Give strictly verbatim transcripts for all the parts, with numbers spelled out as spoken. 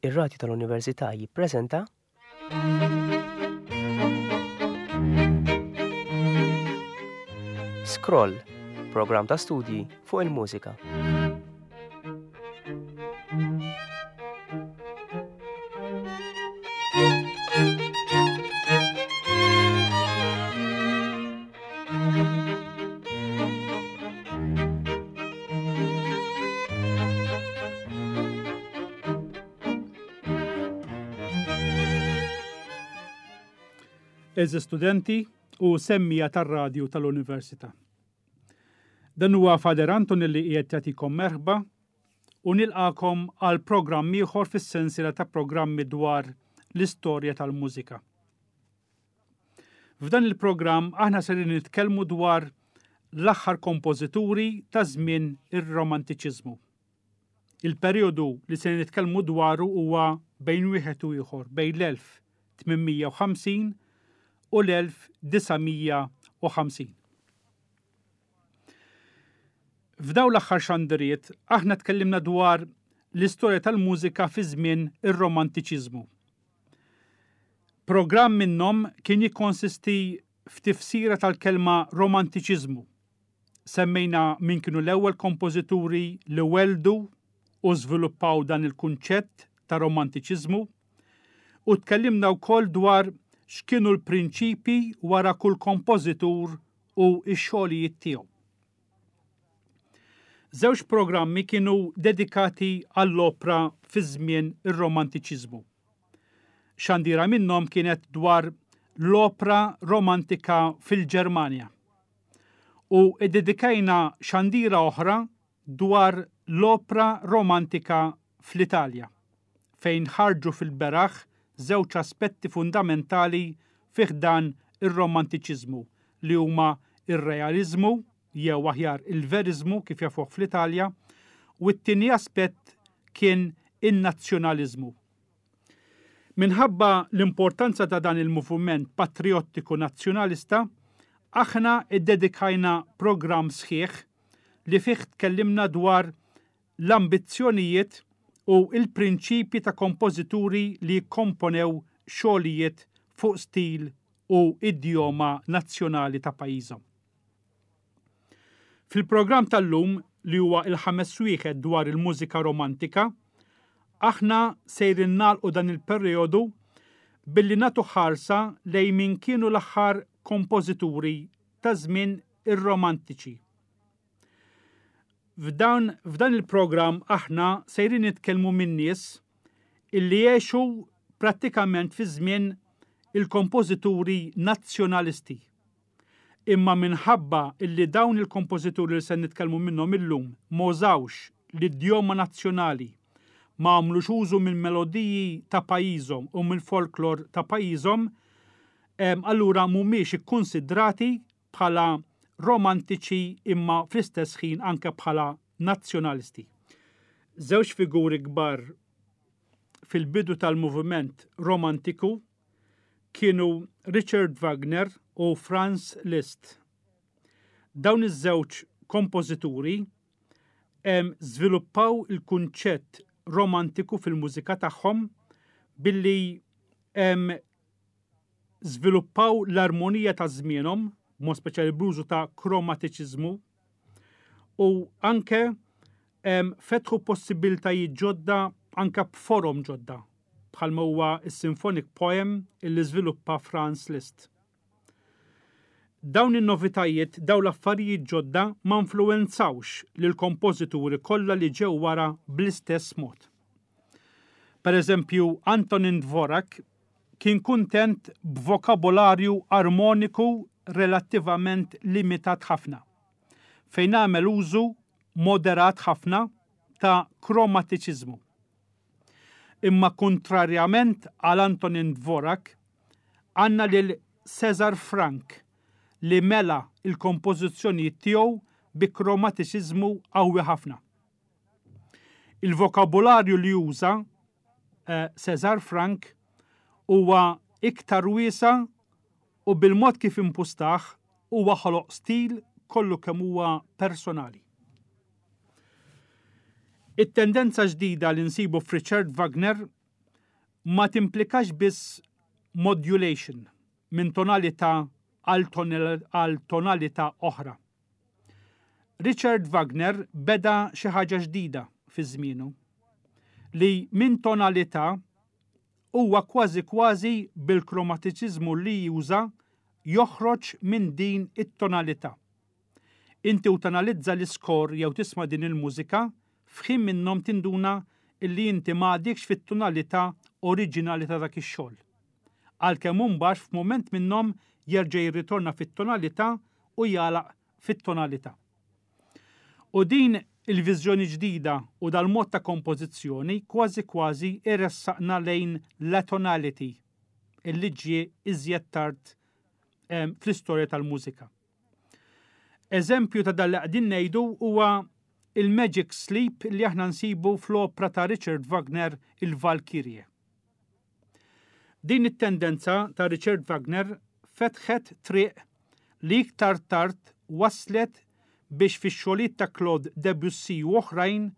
Ir-Radju tal-Università jippreżenta Scroll, programm ta' studji fuq il-mużika. Eżi studenti u semmija tar-radju tal-Università. Dan huwa Fader Anton li qiegħed jagħtikom merħba u nilqakom għal programm ieħor fis-sensiela ta' programmi dwar l-istorja tal-mużika. F'dan il-programm aħna ser nitkellmu dwar l-aħħar kompożituri ta' żmien ir-Romantiċiżmu. Il-perjodu li se nitkellmu dwaru huwa bejn wieħed u ieħor bejn l-elf tmien mija u ħamsin u l-elf disa' mija u ħamsin. F'daw l-aħħar xandiriet aħna tkellimna dwar l-istorja tal-mużika fi żmien ir-Romantiċiżmu. Programm minnhom kien jikkonsisti f'tifsira tal-kelma romantiċiżmu. Semmejna min kienu l-ewwel kompożituri li weldu u żviluppaw dan il-kunċett ta' romantiċiżmu u tkellimna wkoll dwar x'kienu l-prinċipi wara kull kompożitur u x-xogħlijiet tiegħu. Żewġ programmi kienu dedikati għall-opra fi żmien ir-Romantiċiżmu. Xandira minnhom kienet dwar l-opra romantika fil-Ġermanja u ddedikajna xandira oħra dwar l-opra romantika fl-Italja, fejn ħarġu fil-beraħ żewġ aspetti fundamentali fih dan ir-romantiċiżmu li huma ir-realizmu jew aħjar il-veriżmu kif jafuh fl-Italja, u t-tieni aspett kien in-nazzjonaliżmu. Minħabba l-importanza ta' dan il-moviment patriottiku nazzjonalista, aħna iddedikajna programm sħiħ li fih tkellimna dwar l-ambizzjonijiet u il-prinċipji ta' kompożituri li kkomponew xogħlijiet fuq stil u idjoma nazzjonali ta' pajjiżhom. Fil-programm tal-lum, li huwa il-ħames wieħed dwar il-mużika romantika, aħna sejrin nagħlqu dan il-perjodu billi nagħtu ħarsa lejn min kienu l-aħħar kompożituri ta' żmien ir-romantiċi. F'dan, f'dan il-programm aħna sejrin nitkellmu minn nies illi għexu prattikament fi żmien il-kompożituri nazzjonalisti. Imma minħabba illi dawn il-kompożituri li se nitkellmu minnhom illum ma użawx l-idjoma nazzjonali, ma għamlux użu mill-melodiji ta' pajjiżhom u mill-folklor ta' pajjiżhom, em, allura mhumiex ikkunsidrati bħala romantiċi imma fl-istess ħin anke bħala nazzjonalisti. Żewġ figuri kbar fil-bidu tal-moviment romantiku kienu Richard Wagner u Franz Liszt. Dawn iż-żewġ kompożituri, em, żviluppaw il-kunċett romantiku fil-mużika tagħhom billi, em, żviluppaw l-armonija ta' żmienhom, b'mod speċjali bl-użu ta' kromatiċiżmu, u anke, em, fetħu possibiltajiet ġodda anke b'forom ġodda, bħalma huwa s-symphonic poem illi żviluppa Franz Liszt. Dawn in-novitajiet, dawn l-affarijiet ġodda ma influwenzawx lill-kompożituri kollha li ġew wara bl-istess mod. Per eżempju, Antonin Dvorak kien kuntent b'vokabolarju armoniku relattivament limitat ħafna, fejn għamel użu moderat ħafna ta' kromatiċiżmu. Imma kontrarjament għal Antonin Dvorak, għandna lil Cesar Franck li mela il-kompożizzjonijiet tiegħu bi kromatiċiżmu qawwi ħafna. Il-vokabularju li juża, eh, Cesar Franck huwa iktar wiesa' u bil-mod kif impustaħ huwa ħoloq stil kollu kemm huwa personali. It-tendenza ġdida li nsibu f'Richard Wagner Ma timplikax biss modulation minn tonalità għal tonalità oħra. Richard Wagner beda xi ħaġa ġdida fi żmienu li minn tonalità huwa kważi kważi bil-kromatiċiżmu li juża joħroġ minn din it-tonalità. Inti u tanalizza l-iskor jew tisma' din il-mużika, f'ħin minnhom tinduna illi inti m'għadikx fit-tonalità oriġinali ta' dak ix-xogħol. Għalkemm imbagħad f'mument minnhom jerġa' jirritorna fit-tonalità u jagħlaq fit-tonalità. U din il-viżjoni ġdida u dal-mod ta' kompożizzjoni kważi kważi iressaqna lejn l-atonality illi ġie iżjed tard fl-istorja tal-mużika. Eżempju ta' dan li qegħdin ngħidu huwa il-Magic Sleep li aħna nsibu fl-opra ta' Richard Wagner, il-Valkyrie. Din it-tendenza ta' Richard Wagner fetħet triq li iktar tard waslet biex fix-xogħlijiet ta' Claude Debussy u oħrajn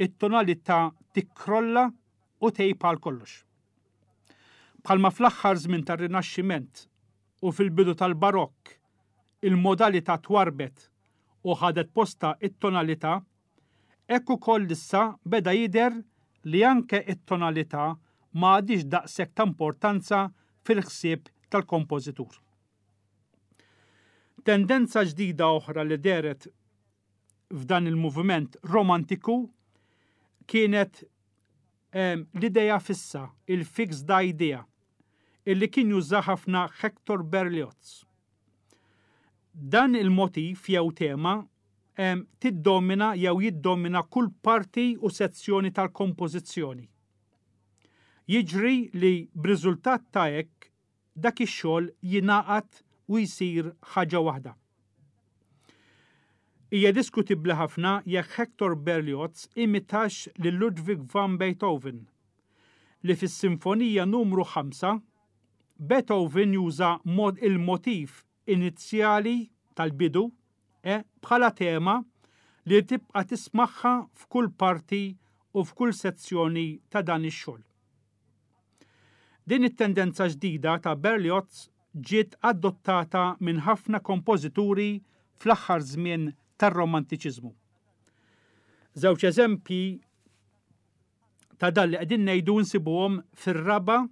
it-tonalità tikkrolla u tgħib għal kollox. Bħalma fl-aħħar żmien tar-Rinaxximent u fil-bidu tal-Barokk il-modalità twarbet u ħadet posta it-tonalità, hekk ukoll issa beda jidher li anke it-tonalità ma għadix daqshekk ta' importanza fil-ħsieb tal-kompożitur. Tendenza ġdida oħra li dehret f'dan il-moviment romantiku kienet um, l-ideja fissa, il-fixed idea, illi kien juża ħafna Hector Berlioz. Dan il-motif jew tema um, tiddomina jew jiddomina kull parti u sezzjoni tal-kompożizzjoni. Jiġri li b'riżultat ta' hekk dak ix-xogħol jingħaqad u jsir ħaġa waħda. Hija diskutibbli ħafna jekk Hector Berlioz imitax lil Ludwig van Beethoven, li fis-Sinfonija numru ħamsa Beethoven juża mod il-motif inizjali tal-bidu eh, bħala tema li tibqa' tismagħha f'kull parti u f'kull sezzjoni ta' dan ix-xogħol. Din it-tendenza ġdida ta' Berlioz ġiet adottata minn ħafna kompożituri fl-aħħar żmien tar-Romantiċiżmu. Żewġ eżempji ta' dan li qegħdin ngħidu nsibuhom fir-raba'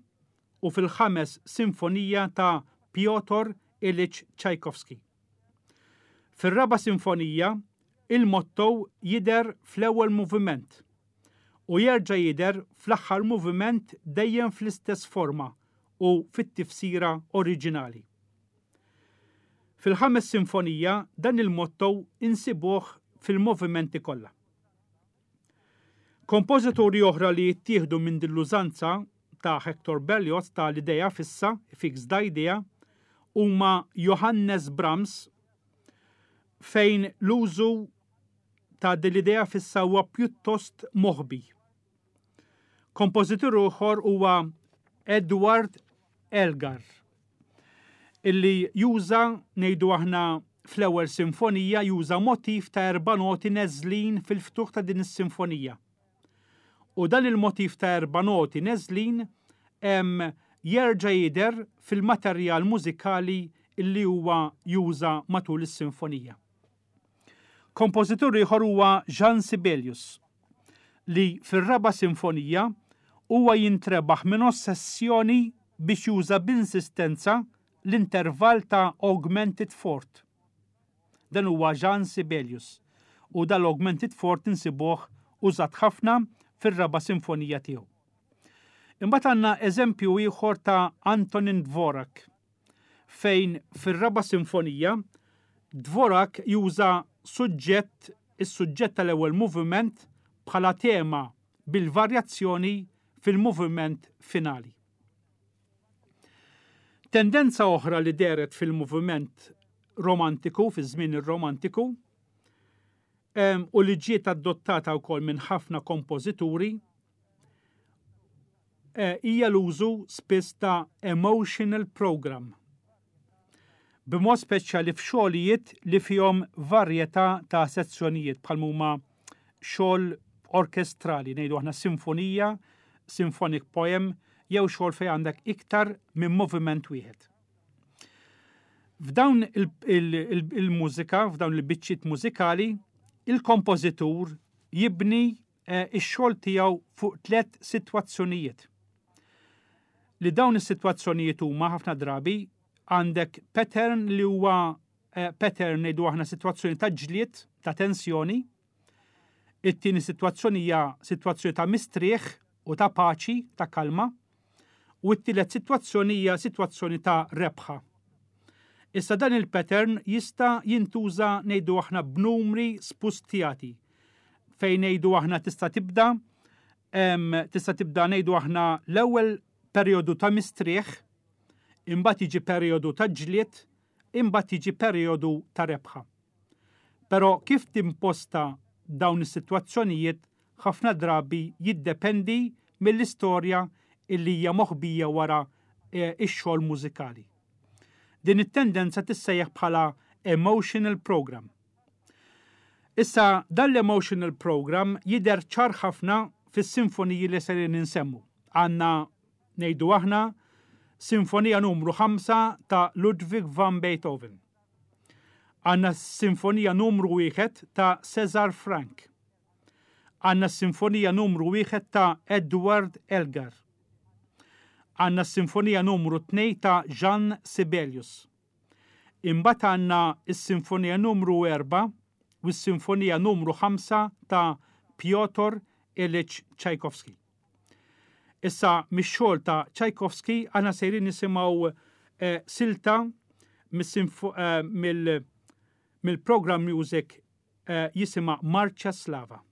u fil-ħames sinfonija ta' Piotr Ilyich Tchaikovsky. Fir-raba' sinfonija, il-motto jidher fl-ewwel moviment u jerġa' jidher fl-aħħar moviment, dejjem fl-istess forma u fit-tifsira oriġinali. Fil-ħames sinfonija dan il-motto insibuh fil-movimenti kollha. Kompożituri oħra li jittieħdu minn din l-użanza ta' Hector Berlioz ta' l-ideja fissa, fixed idea, huma Johannes Brahms, fejn l-użu ta' din l-idea fissa huwa pjuttost moħbi. Kompożitur ieħor huwa Edward Elgar, illi juża, ngħidu aħna, fl-ewwel sinfonija juża motif ta' erba' noti neżlin fil-ftuħ ta' din is-sinfonija. U dan il-motif ta' erba' noti neżlin jerġa' jidher fil-materjal mużikali illi huwa juża matul is-sinfonija. Kompożitur ieħor huwa Jean Sibelius, li fir-raba' sinfonija huwa jintrebaħ minn ossessjoni biex juża b'insistenza l-intervall ta' augmented fourth. Dan huwa Jean Sibelius u dal-augmented fourth insibuh użat ħafna fir-raba' sinfonija tiegħu. Imbagħad għandna eżempju ieħor ta' Antonin Dvorak, fejn fir-raba' sinfonija Dvorak juża suġġett is-suġġett tal-ewwel moviment bħala tema bil-varjazzjoni fil-moviment finali. Tendenza oħra li dehret fil-moviment romantiku, fi żmien ir-romantiku, u li ġiet adottata wkoll minn ħafna kompożituri, e, hija l-użu spiss ta' emotional program, b'mod speċjali f'xogħlijiet li fihom varjetà ta' sezzjonijiet, bħal huma xogħol orkestrali, ngħidu aħna sinfonija, symphonic poem jew xogħol fejn għandek iktar minn moviment wieħed. F'dawn il-mużika, f'dawn il-biċċiet mużikali, il-kompożitur jibni eh, ix-xogħol tiegħu fuq tliet sitwazzjonijiet. Li dawn is-sitwazzjonijiet huma ħafna drabi għandek pattern li huwa eh, pattern ngħidu aħna sitwazzjoni ta' ġlied, ta' tensjoni. It-tieni sitwazzjoni hija sitwazzjoni ta' mistrieħ u ta' paċi, ta' kalma. U t-tielet sitwazzjoni hija sitwazzjoni ta' rebħa. Issa dan il-pattern jista' jintuża ngħidu aħna b'numri spustjati fejn ngħidu aħna tista' tibda tista' tibda ngħidu aħna l-ewwel perjodu ta' mistrieħ, imbagħad jiġi perjodu ta' ġlied, imbagħad jiġi perjodu ta' rebħa. Però kif timposta dawn is-sitwazzjonijiet ħafna drabi jiddependi mill-istorja illi hija moħbija wara eh, ix-xogħol mużikali. Din it-tendenza tissejjaħ bħala emotional program. Issa dan l-emotional program jidher ċar ħafna fis-sinfoniji li serin insemmu. Għandna ngħidu aħna Sinfonija numru ħamsa ta' Ludwig van Beethoven. Għandna Sinfonija numru wieħed ta' Cesar Franck. Għandna Sinfonija numru wieħed ta' Edward Elgar. Għandna Sinfonija numru tnejn ta' Jean Sibelius. Imbagħad għandna s-Sinfonija numru erba' u s-Sinfonija numru ħamsa ta' Piotr Ilyich Tchaikovsky. Issa mix-xogħol ta' Tchaikovsky aħna sejrin nisimgħu eh, silta eh, mill-program music eh, jisimha Marċa Slava.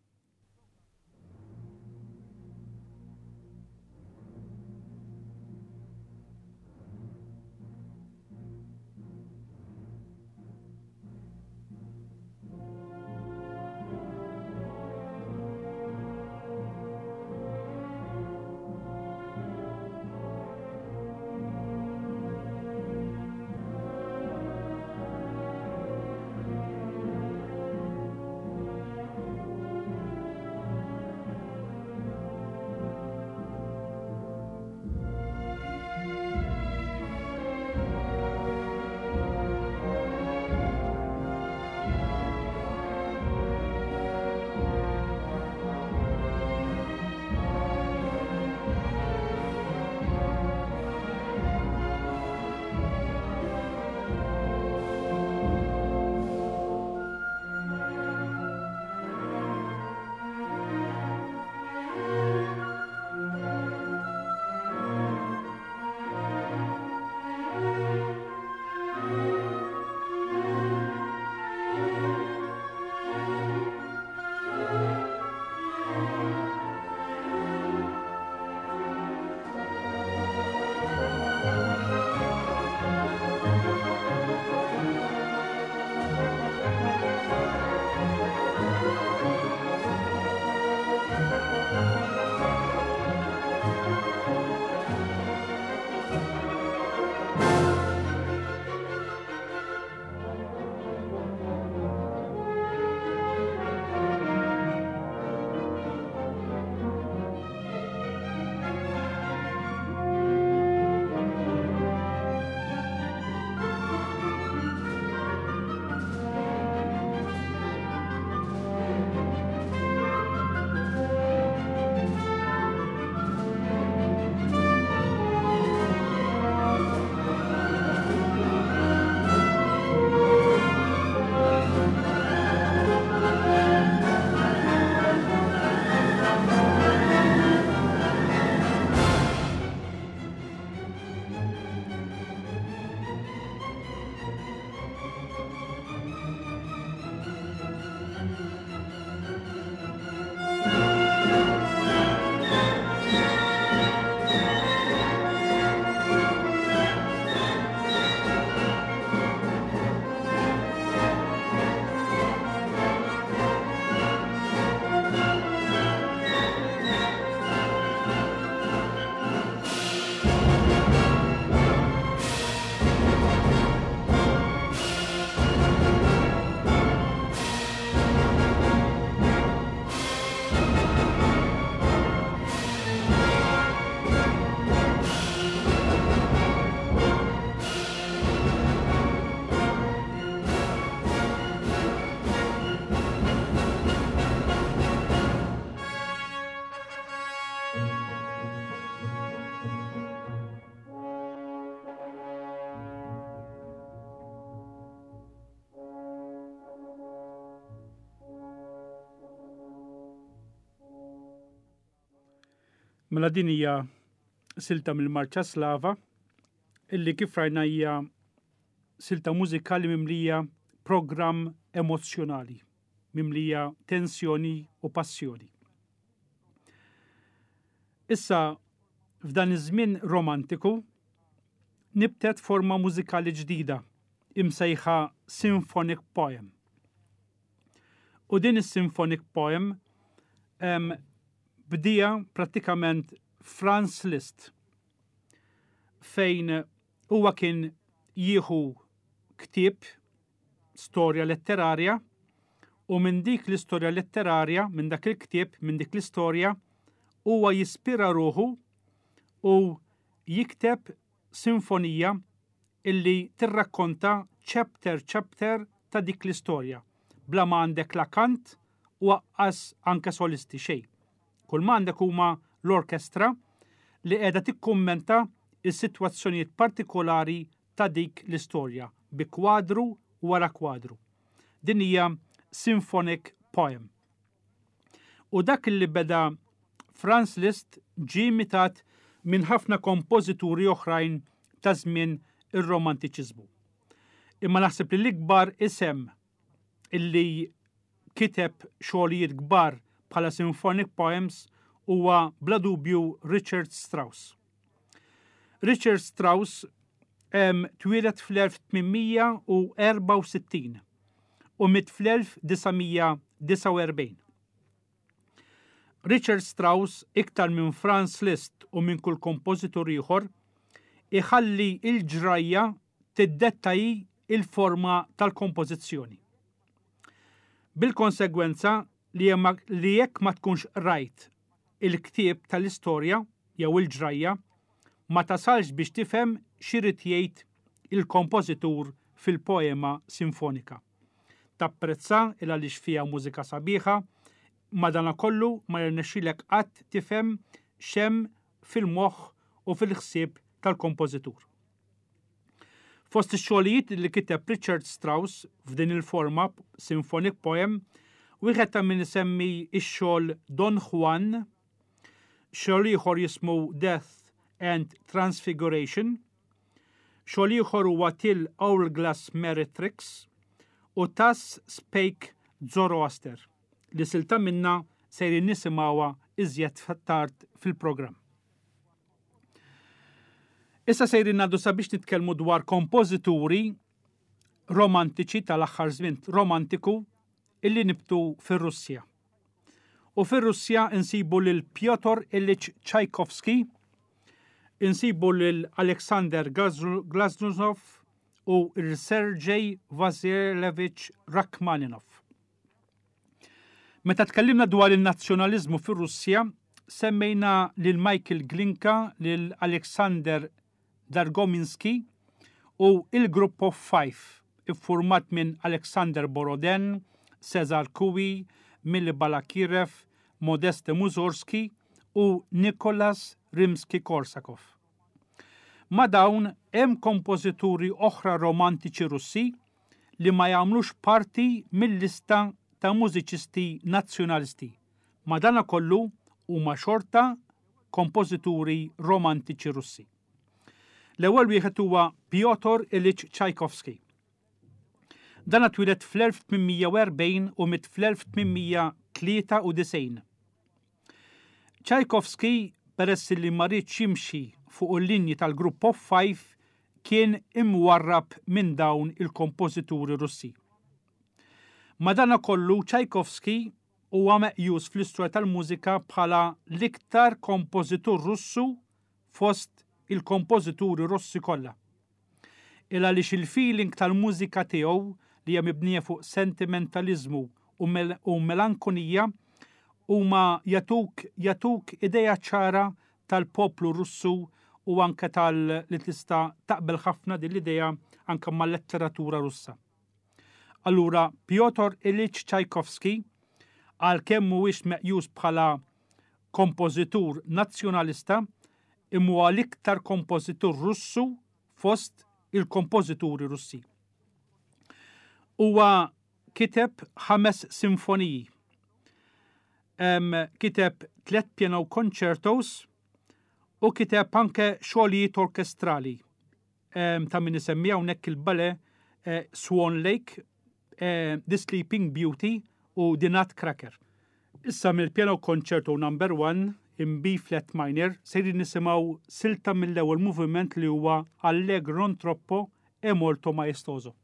Mela din hija silta mill-Marċa Slava illi kif rajna hija silta mużikali mimlija programm emozzjonali, mimlija tensjoni u passjoni. Issa, f'dan iż-żmien romantiku, nibtet forma mużikali ġdida imsejħa symphonic poem. U din is-symphonic poem em, bdieha prattikament Franz Liszt, fejn huwa kien jieħu ktieb storja letterarja u minn dik l-istorja letterarja, minn dak il-ktieb, minn dik l-istorja, huwa jispira ruħu u jikteb sinfonija illi tirrakkonta chapter chapter ta' dik l-istorja, bla ma għandek la kant u anqas anke solisti, xejn. Kull ma għandek huma l-orkestra li qiegħda tikkummenta is-sitwazzjonijiet partikolari ta' dik l-istorja bi kwadru wara kwadru. Din hija symphonic poem. U dak li beda Franz Liszt ġie imitat minn ħafna kompożituri oħrajn ta' żmien ir-romantiċiżmu. Imma naħseb li l-ikbar isem illi kiteb xogħlijiet kbar bħala symphonic poems huwa bla dubju Richard Strauss. Richard Strauss em, twieled fl-elf tmien mija u erbgħa u sittin u miet fl-elf disa' mija disgħa u erbgħin. Richard Strauss, iktar minn Franz Liszt u minn kull kompożitur ieħor, iħalli il-ġrajja tiddetta il-forma tal-kompożizzjoni. Bil-konsegwenza li li jekk ma tkunx rajt il-ktieb tal-istorja jew il-ġrajja, ma tasalx biex tifhem x'irid jgħid il-kompożitur fil-poema sinfonika. Tapprezza il għaliex fiha mużika sabiħa, madanakollu ma jirnexxilek qatt tifhem x'hemm fil-moħħ u fil-ħsieb tal-kompożitur. Fost ix-xogħlijiet li kiteb Richard Strauss f'din il-forma symphonic poem, wieħed ta' min isemmi ix-xogħol Don Juan, xogħol ieħor jismu Death and Transfiguration, xogħol ieħor huwa Till Hourglass Meretrix u Thus Spake Zoroaster, li silta minna sejrin nisimgħuha iżjed tard fil-programm. Issa sejrin ngħaddu sabiex nitkellmu dwar kompożituri romantiċi tal-aħħar żmien romantiku illi nibtu fir-Russja. U fir-Russja insibu lil Piotr Ilyich Tchaikovsky, insibu lil Alexander Glazunov u il-Sergej Vasilevich Rachmaninov. Meta tkellimna dwar il-nazzjonalizmu fir-Russja, semmejna lil Michael Glinka, lil Alexander Dargominski u il-Group of Five, iffurmat minn Alexander Borodin, Cesar Cui, Mili Balakirev, Modeste Mussorgsky u Nikolas Rimsky-Korsakov. Ma dawn hemm kompożituri oħra romantiċi Russi li ma jagħmlux parti mill-lista ta' mużiċisti nazzjonalisti. Madanakollu huma xorta kompożituri romantiċi Russi. L-ewwel wieħed huwa Piotr Ilyich Tchaikovsky. Dan twieled fl-elf tmien mija u erbgħin u miet fl-elf tmien mija tlieta u disgħin. Tchaikovsky, peress li ma riedx jimxi fuq il-linji tal-Group of Five, kien imwarrab minn dawn il-kompożituri Russi. Madanakollu Tchaikovsky huwa meqjus fl-istorja tal-mużika bħala l-iktar kompożitur Russu fost il-kompożituri Russi kollha. Il għaliex il-feeling tal-mużika tiegħu li hija mibnija fuq sentimentalizmu u, mel u melankonija huma jagħtuk jagħtuk ideja ċara tal-poplu Russu u anke tal li tista' taqbel ħafna din l-idea anke mal-letteratura Russa. Allura Piotr Ilyich Tchaikovsky, għalkemm mhuwiex meqjus bħala kompożitur nazzjonalista, imma huwa l-iktar kompożitur Russu fost il-kompożituri Russi. Huwa kiteb ħames sinfoniji. Em, kiteb tlet piano concertos. U kiteb anke xogħlijiet orkestrali. Ta' min isemmi hawnhekk il-ballet eh, Swan Lake, eh, The Sleeping Beauty u The Nutcracker. Issa mill-Piano Concerto Number one in B flat minor sejrin nisimgħu silta mill-ewwel moviment li huwa Allegro non troppo e molto maestoso.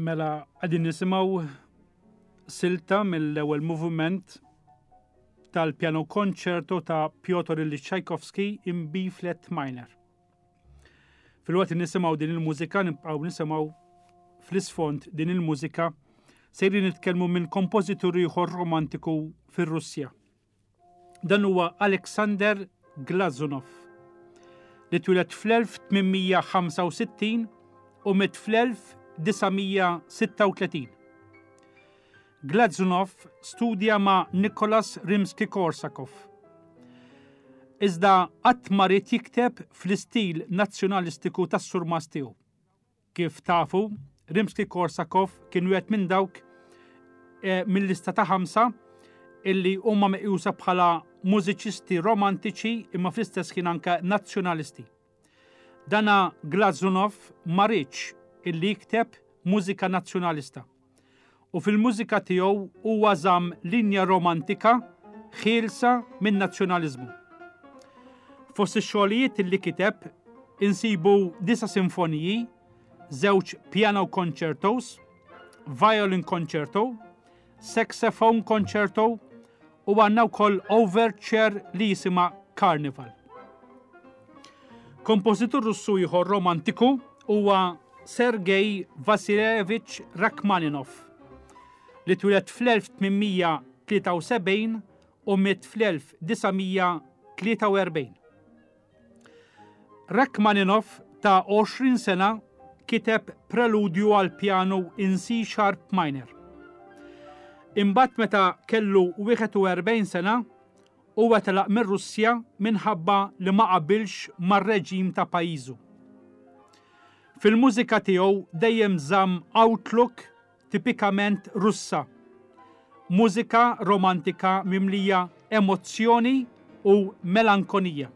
Mela qegħdin nisimgħu silta mill-ewwel moviment tal-piano concerto ta' Piotr Ilyich Tchaikovsky in B flat minor. Filwaqt li nisimgħu din il-mużika, nibqgħu nisimgħu fl-isfond din il-mużika, sejrin nitkellmu minn kompożitur ieħor romantiku fir-Russja. Dan huwa Alexander Glazunov, li twieled fl-elf tmien mija ħamsa u sittin u miet fl-elf disa' mija sitta u tletin. Glazunov studja ma' Nicholas Rimsky-Korsakov. Iżda qatt ma ried jikteb fl-istil nazzjonalistiku tas-surmas tiegħu. Kif tafu, Rimsky-Korsakov kien wieħed minn dawk, eh, mill-lista ta' ħamsa illi huma meqjusa bħala mużiċisti romantiċi imma fl-istess ħin anke nazzjonalisti. Dana Glazunov ma riedx illi jikteb mużika nazzjonalista. U fil-mużika tiegħu huwa żamm linja romantika ħielsa minn nazzjonaliżmu. Fost ix-xogħlijiet illi kiteb insibu disa' sinfoniji, żewġ piano concertos, violin concerto, saxophone concerto u għandna wkoll overture li jisimha Carnival. Kompożitur Russu ieħor romantiku huwa Sergei Vasilevich Rachmaninov li twieled fl-elf tmien mija tlieta u sebgħin u miet fl-elf disa' mija tlieta u erbgħin. Rachmaninov ta' għoxrin sena kiteb preludju għal pjanu in C sharp minor. Imbagħad meta kellu wieħed u erbgħin sena, huwa telaq mir-Russja minħabba li ma qabilx mar-reġim ta' pajjiżu. Fil-mużika tiegħu dejjem żamm outlook tipikament Russa, mużika romantika mimlija emozzjoni u melankonija.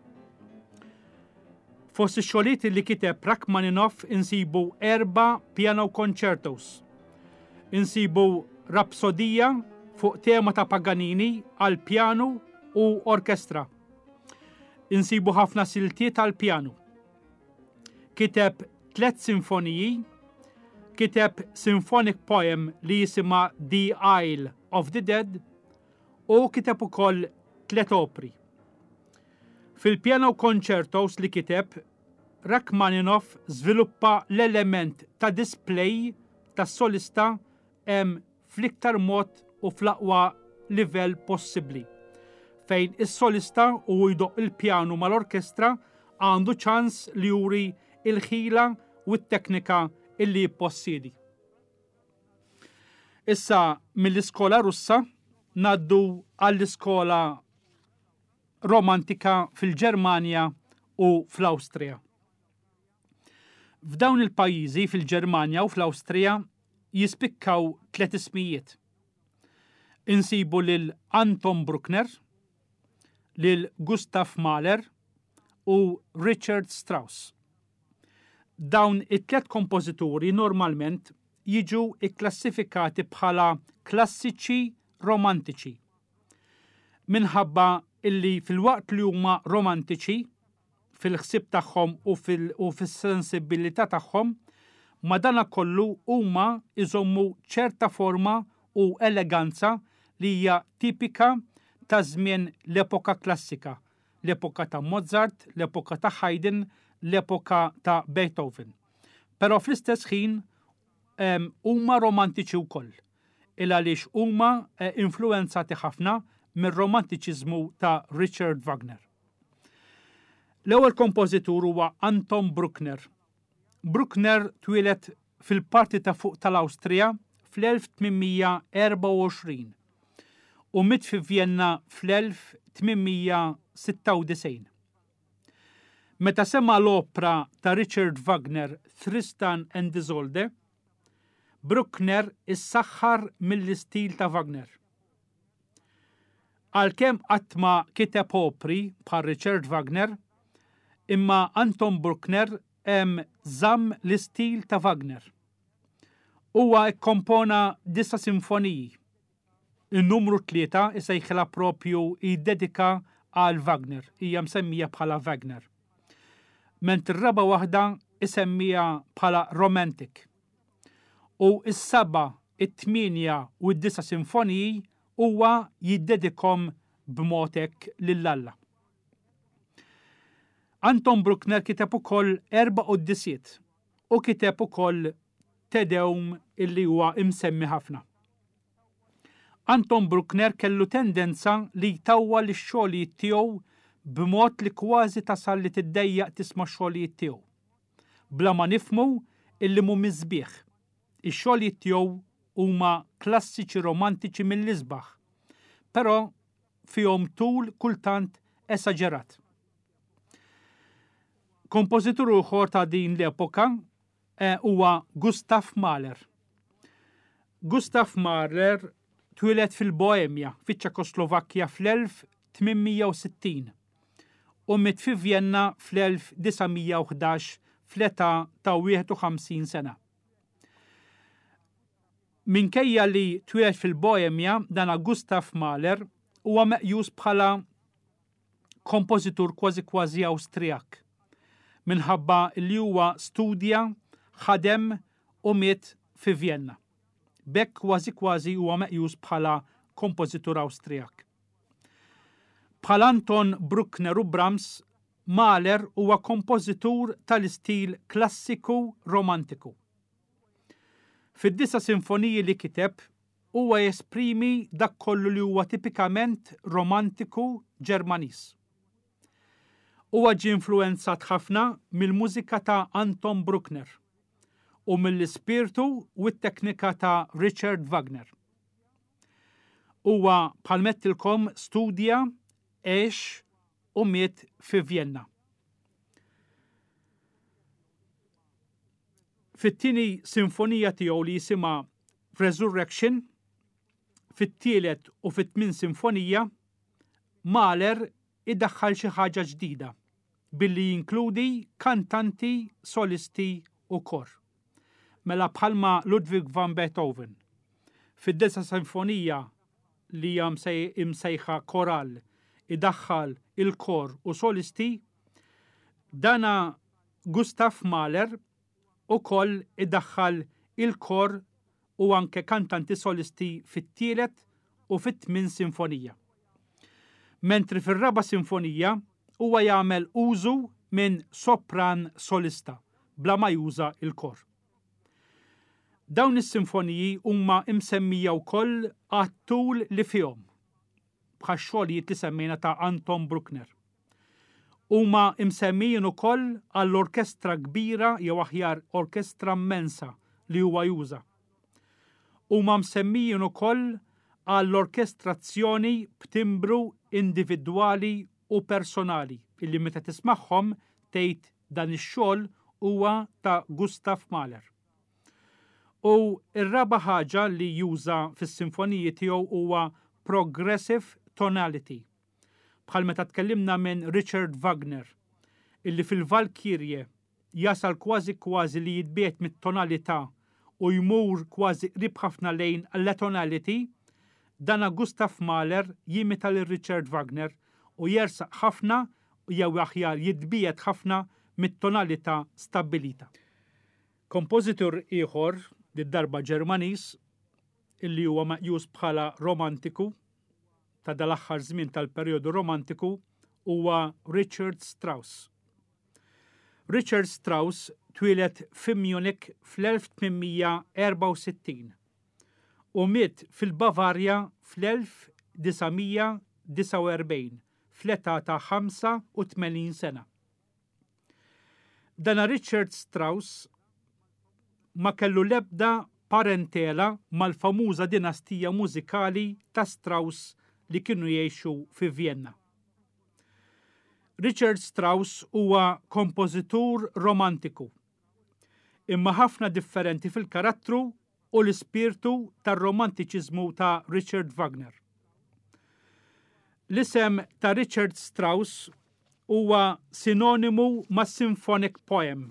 Fost ix-xogħlijiet li kiteb Rachmaninov insibu erba' piano concertos. Insibu rapsodija fuq tema ta' Paganini għal pjanu u orkestra. Insibu ħafna siltiet għal pjanu. Kiteb tliet sinfoniji, kiteb symphonic poem li jisimha The Isle of the Dead u kiteb ukoll tliet opri. Fil-piano concertos li kiteb, Rachmaninov żviluppa l-element ta' display tas-solista hemm fl-iktar mod u fl-aqwa livell possibbli, fejn is-solista u jdoqq il-pjanu mal-orkestra għandu ċans li juri il-ħila u t-teknika illi jippossiedi. Issa mill-iskola Russa naddu għall-iskola romantika fil-Ġermanja u fl-Awstrija. F'dawn il-pajjiżi fil-Ġermanja u fl-Awstrija jispikkaw tliet ismijiet. Insibu lil Anton Bruckner, lil Gustav Mahler u Richard Strauss. Dawn it-tliet kompożituri normalment jiġu ikklassifikati bħala klassiċi romantiċi. Minħabba illi fil-waqt li huma romantiċi fil-ħsieb tagħhom u fil-, u fis-sensibilità tagħhom, madanakollu huma iżommu ċerta forma u eleganza li hija tipika ta' żmien l-epoka klassika, l-epoka ta' Mozart, l-epoka ta' Haydn, l-epoka ta' Beethoven. Però fl-istess ħin, em, huma romantiċi wkoll, il għaliex huma, eh, influenzati ħafna mir-romantiċiżmu ta' Richard Wagner. L-ewwel kompożitur huwa Anton Bruckner. Bruckner twieled fil-parti ta' fuq tal-Awstrija fl-elf tmien mija erbgħa u għoxrin u miet fi Vienna fl-elf tmien mija sitta u disgħin. Meta sema l-opra ta' Richard Wagner Tristan and Isolde, Bruckner issaħħar mill-istil ta' Wagner. Għalkemm qatt ma kiteb opri bħal Richard Wagner, imma Anton Bruckner hemm żamm l-istil ta' Wagner. Huwa kkompona disa' sinfoniji. In-numru tlieta isejħilha propju jiddedika għal Wagner, hija msemmija bħala Wagner. Ment ir-raba' waħda isemmija bħala Romantic. U s-seba', it-tmienja u d-disa' sinfoniji huwa jiddedikom b'mod hekk lil Alla. Anton Bruckner kiteb ukoll erba' quddisiet u kiteb ukoll Te Deum illi huwa imsemmi ħafna. Anton Bruckner kellu tendenza li jtawwal ix-xogħlijiet tiegħu b'mod li kważi tasal li tiddejjaq tisma' x-xogħlijiet tiegħu. Bla ma nifhmu illi mhumiex sbieħ. Ix-xogħlijiet tiegħu huma klassiċi romantiċi mill-isbaħ, però fihom tul kultant esaġerat. Kompożitur ieħor ta' din l-epoka, eh, huwa Gustav Mahler. Gustav Mahler twieled fil-Boemja, fiċ-Ċekoslovakkja fl-elf tmien mija u sittin u miet fi Vienna fl-elf disa' mija u ħdax fl-età ta' wieħed u ħamsin sena. Minkejja li twieled fil-Boemja, dan Gustav Mahler huwa meqjus bħala kompożitur kważi kważi Awstrijak, minħabba li huwa studja, ħadem u miet fi Vienna. B'hekk kważi kważi huwa meqjus bħala kompożitur Awstrijak. Bħal Anton Bruckner u Brahms, Mahler huwa kompożitur tal-istil klassiku romantiku. Fid-disa' sinfoniji li kiteb huwa jesprimi dak kollu li huwa tipikament romantiku Ġermaniż. Huwa ġie influwenzat ħafna mill-mużika ta' Anton Bruckner u mill-ispirtu u t-teknika ta' Richard Wagner. Huwa bħal mettilkom studja, għex u miet fi Vienna. Fit-tieni sinfonija tiegħu li jisimha Resurrection, fit-tielet u fit-tmien sinfonija, Mahler idaħħal xi ħaġa ġdida billi jinkludi kantanti, solisti u kor. Mela bħalma Ludwig van Beethoven. Fid-disa sinfonija li hija imsejħa koral idaħħal il-kor u solisti, dana Gustav Mahler ukoll idaħħal il-kor u anke kantanti solisti fit-tielet u fit-tmien sinfonija. Mentri fir-raba' sinfonija huwa jagħmel użu minn sopran solista bla ma juża il-kor. Dawn is-sinfoniji huma imsemmija wkoll għat-tul li fihom, bħax-xogħlijiet li semmejna ta' Anton Bruckner. Huma imsemmijin ukoll għall-orkestra kbira jew aħjar orkestra immensa li huwa juża. Huma msemmijin ukoll għall-orkestrazzjoni b'timbru individwali u personali illi meta tismagħhom tgħid dan ix-xogħol huwa ta' Gustav Mahler. U r-raba' ħaġa li juża fis-sinfoniji tiegħu huwa progressive tonality. Bħal meta tkellimna minn Richard Wagner, illi fil-Valkyrie jasal kważi kważi li jitbiet mit-tonalità u jmur kważi qrib ħafna lejn l-tonality, dana Gustav Mahler jimita lil Richard Wagner u jersaq ħafna jew aħjar jitbiet ħafna mit-tonalità stabbilita. Kompożitur ieħor, darba Ġermaniż, illi huwa meqjus bħala romantiku ta' dal-aħħar żmien tal-perjodu romantiku, huwa Richard Strauss. Richard Strauss twieled fi Munich fl-elf tmien mija erbgħa u sittin u miet fil-Bavarja fl-elf disa' mija disgħa u erbgħin fl-età ta' ħamsa u tmenin sena. Dana Richard Strauss ma kellu l-ebda parentela mal-famuża dinastija mużikali ta' Strauss li kienu jgħixu fi Vienna. Richard Strauss huwa kompożitur romantiku, imma ħafna differenti fil-karattru u l-ispirtu tar-romantiċiżmu ta' Richard Wagner. L-isem ta' Richard Strauss huwa sinonimu ma' symphonic poem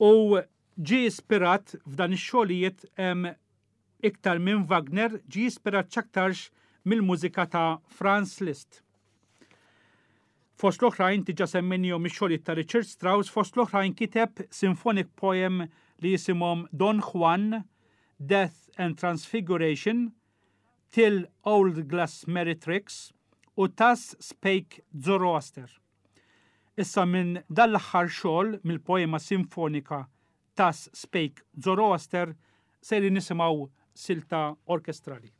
u ġie ispirat f'dan ix-xogħlijiet iktar minn Wagner, ġie ispirat x'aktarx mill-mużika ta' Franz Liszt. Fost l-oħrajn diġà semmejnihom ix-xogħlijiet ta' Richard Strauss, fost l-oħrajn kiteb symphonic poem li jisimhom Don Juan, Death and Transfiguration, Till Old Glass Meretrix u Thus Spake Zoroaster. Issa minn dan l-aħħar xogħol mill-poema sinfonika Thus Spake Zoroaster sejrin nisimgħu silta orkestrali.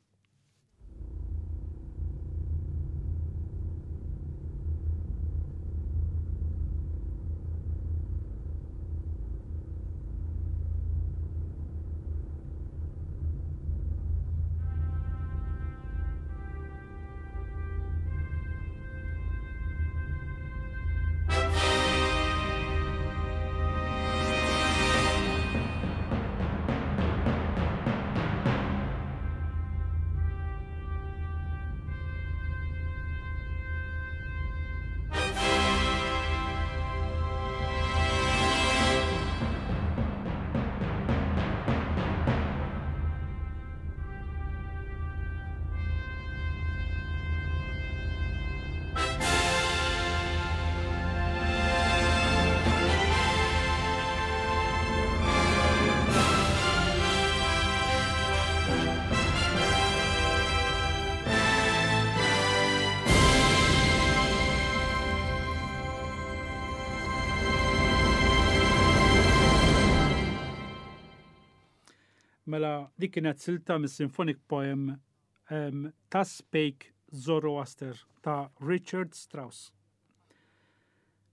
Mela dik kienet silta mis-symphonic poem um, ta' Spake Zoroaster ta' Richard Strauss.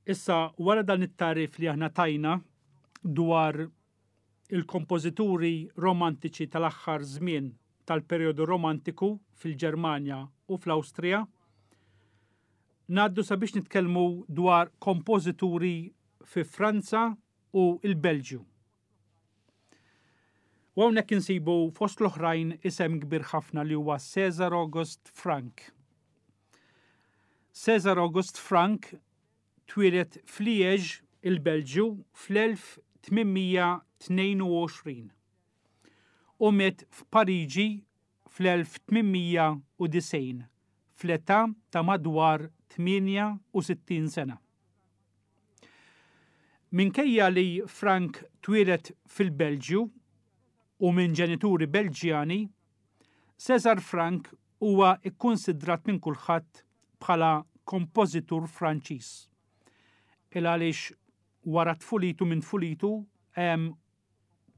Issa, wara dan it-tagħrif li aħna tajna dwar il-kompożituri romantiċi tal-aħħar żmien tal-perjodu romantiku fil-Ġermanja u fl-Awstrija, ngħaddu sabiex nitkellmu dwar kompożituri fi Franza u il-Belġju. U hawnhekk insibu fost l-oħrajn isem kbir ħafna li huwa César August Franck. César August Franck twieled f'Liège, il-Belġju, fl-elf tmien mija tnejn u għoxrin u miet f'Pariġi fl-elf tmien mija u disgħin fl-età ta' madwar tmienja u sittin sena. Minkejja li Franck twieled fil-Belġju u minn ġenituri Belġjani, César Franck huwa kkunsidrat minn kulħadd bħala kompożitur Franċiż. Il għaliex wara tfulitu minn tfulitu em,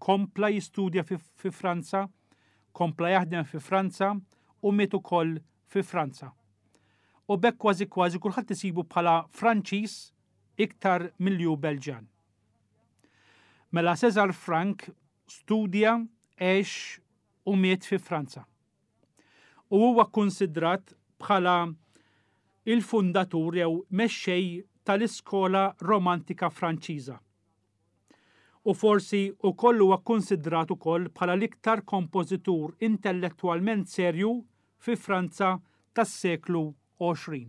kompla jistudja fi, fi Franza, kompla jaħdem fi Franza u miet ukoll fi Franza. U b'hekk kważi kważi kulħadd isibu bħala Franċiż iktar milli hu Belġjan. Mela César Franck studja, għex u miet fi Franza. U huwa kkunsidrat bħala il-fundatur jew mexxej tal-iskola romantika Franċiża. U forsi wkoll huwa kkunsidrat ukoll bħala l-iktar kompożitur intellettwalment serju fi Franza tas-seklu għoxrin.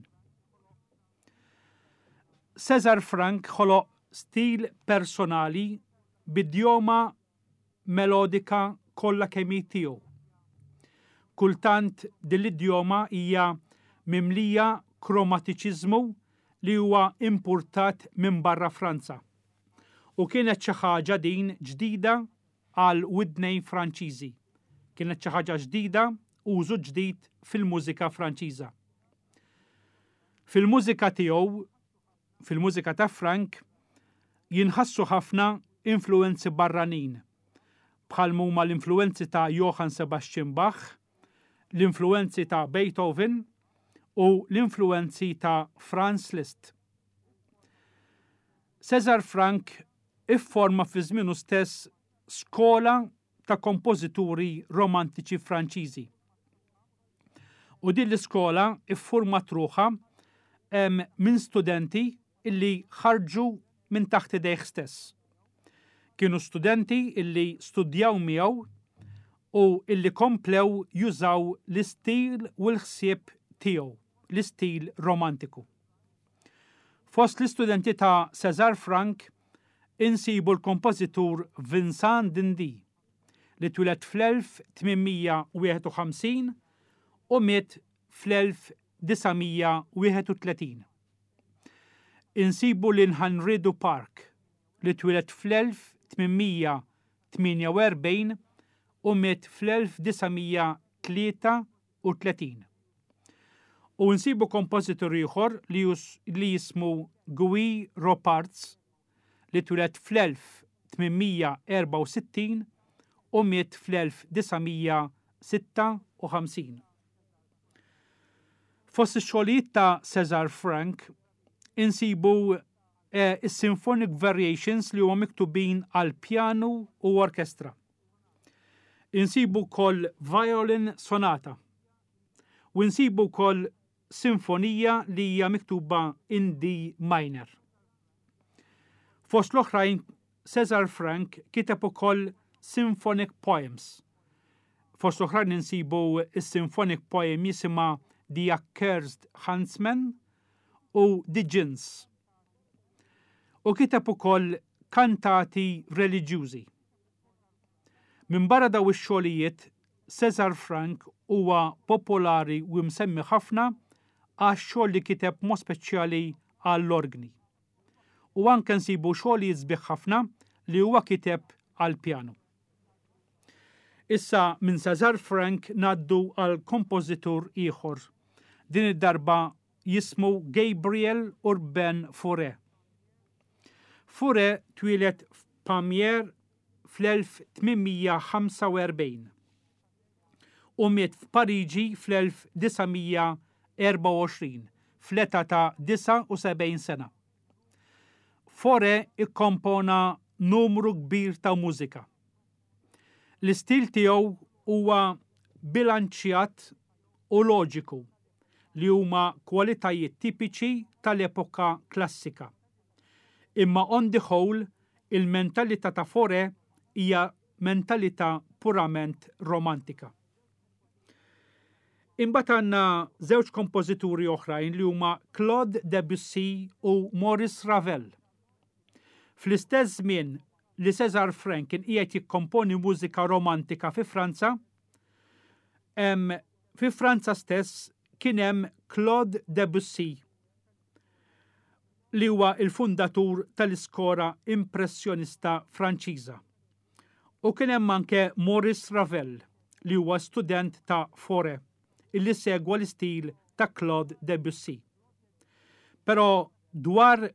César Franck ħoloq stil personali b'idjoma melodika kollha kemm hi tiegħu. Kultant din l-idjoma hija mimlija kromatiċiżmu li huwa importat minn barra Franza. U kienet xi ħaġa din ġdida għal widnejn Franċiżi. Kienet xi ħaġa ġdida, użu ġdid fil-mużika Franċiża. Fil-mużika tiegħu, fil-mużika ta' Franck, jinħassu ħafna influenzi barranin, bħal huma l-influenzi ta' Johann Sebastian Bach, l-influenzi ta' Beethoven u l-influenzi ta' Franz Liszt. César Franck ifforma fi żmienu stess skola ta' kompożituri romantiċi Franċiżi. U din l-iskola iffurmat ruħha, em, minn studenti illi ħarġu minn taħt idejh stess. Kienu studenti illi studjaw miegħu u illi komplew jużaw l-istil u l-ħsieb tiegħu, l-istil romantiku. Fost l-istudenti ta' César Franck insibu l-kompożitur Vincent d'Indy li twieled fl-elf tmien mija wieħed u ħamsin u miet fl-elf disa' mija wieħed u tletin. Insibu lil Henri Duparc li twieled fl-elf tmien mija tmienja u erbgħin u miet fl-elf disa' mija tlieta u tletin. U nsibu kompożitur ieħor li jus-, li jismu Guy Ropartz li twieled fl-elf tmien mija erbgħa u sittin u miet fl-elf disa' mija sitta u ħamsin. Fost ix-xogħlijiet ta' César Franck insibu, eh, is-Symphonic Variations li huma miktubin għal pjanu u orkestra. Insibu wkoll Violin Sonata. U insibu wkoll Sinfonija li hija miktuba in D minor. Fost l-oħrajn César Franck kiteb ukoll Symphonic Poems. Fost l-oħrajn insibu is-Symphonic Poem jisimha The Accursed Huntsman u The Djinns. U kiteb ukoll kantati reliġjużi. Minn barra daw ix-xogħlijiet, César Franck huwa popolari u msemmi ħafna għax xogħol li kiteb mod speċjali għall-orgni. U anke nsibu xogħlijiet sbieħ ħafna li huwa kiteb għall-pjanu. Issa minn César Franck ngħaddu għal kompożitur ieħor. Din id-darba jismu Gabriel Urbain Fauré. Fauré twieled f'Pamiers fl-elf tmien mija ħamsa u erbgħin u miet f'Pariġi fl-elf disa' mija erbgħa u għoxrin fl-età ta' disgħa u sebgħin sena. Fauré ikkompona numru kbir ta' mużika. L-istil tiegħu huwa bilanċjat u loġiku li huma kwalitajiet tipiċi tal-epoka klassika. Imma on the whole, il-mentalità ta' Fauré hija mentalità purament romantika. Imbagħad għandna żewġ kompożituri oħrajn li huma Claude Debussy u Maurice Ravel. Fl-istess żmien li César Franck kien qiegħed jikkomponi mużika romantika fi Franza, em, fi Franza stess kien hemm Claude Debussy li huwa il-fundatur tal-iskola impressjonista Franċiża. U kien hemm anke Maurice Ravel li huwa student ta' Fauré illi segwa l-istil ta' Claude Debussy. Però dwar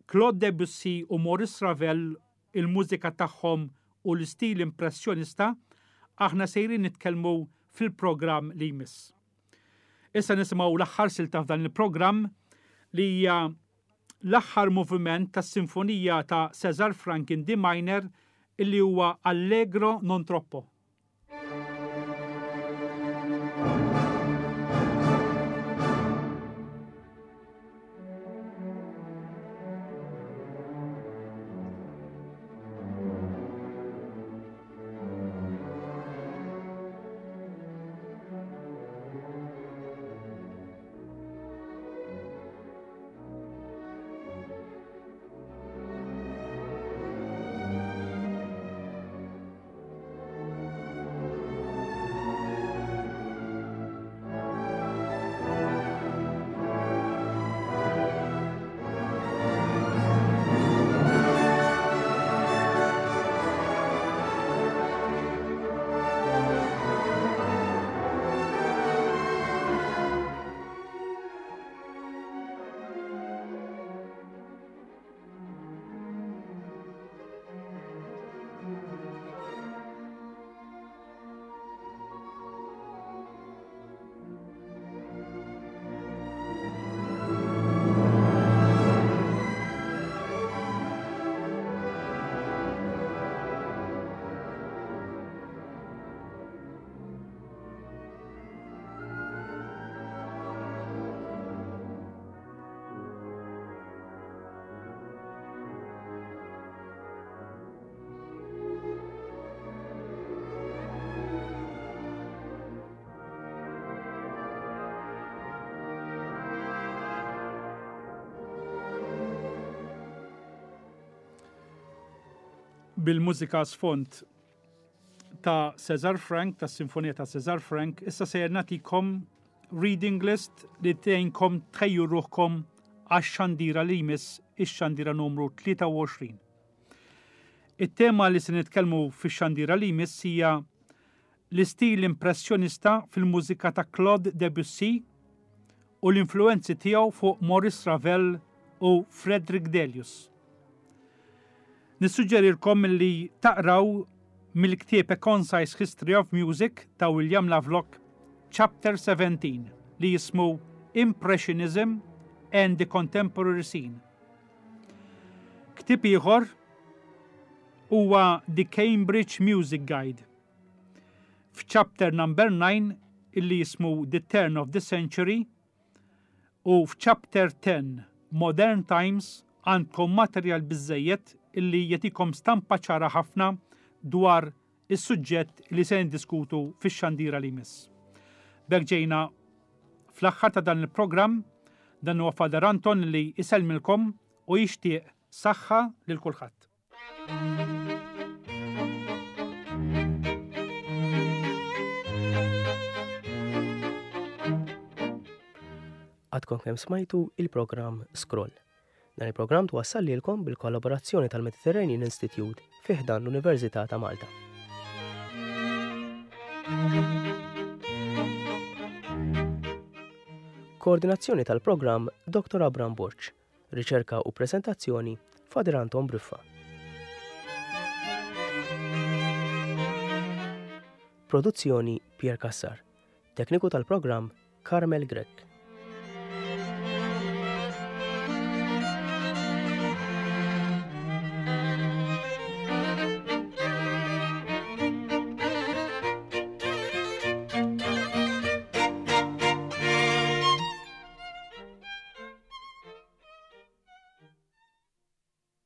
Claude Debussy u Maurice Ravel, il-mużika tagħhom u l-istil impressjonista, aħna sejrin nitkellmu fil-programm li jmiss. Issa nisimgħu l-aħħar silta f'dan il-programm li hija l-aħħar moviment tas-sinfonija ta' César Franck in D minor illi huwa Allegro non troppo. Bil-mużika sfond ta' César Franck, ta' Sinfonija ta' César Franck, issa sejjer nagħtikom reading list li tgħinkom tħejju ruħkom għax-xandira li jmiss, ix-xandira numru tlieta u għoxrin. It-tema li se nitkellmu fix-xandira li jmiss hija l-istil impressjonista fil-mużika ta' Claude Debussy u l-influenzi tiegħu fuq Maurice Ravel u Frederick Delius. Nissuġġerilkom li taqraw mill-ktieb A Concise History of Music ta' William Lovelock, Chapter seventeen, li jismu Impressionism and the Contemporary Scene. Ktieb ieħor huwa The Cambridge Music Guide. F'chapter number nine, illi jismu The Turn of the Century, u f'chapter ten, Modern Times, għandkom materjal biżżejjed illi jagħtikom stampa ċara ħafna dwar is-suġġett li se ndiskutu fix-xandira li jmiss. B'hekk ġejna fl-aħħar ta' dan il-programm, dan huwa Father Anton li jsellmilkom u jixtieq saħħa lil kulħadd. Għadkom kemm smajtu il-programm Scroll. Dan il-programm twassal lilkom bil-kollaborazzjoni tal-Mediterranean Institute fi ħdan l-Università ta' Malta. Koordinazzjoni tal-programm Doktor Abram Borg. Riċerka u prezentazzjoni Father Anton Briffa. Produzzjoni Pierre Cassar. Tekniku tal-programm Carmel Grech.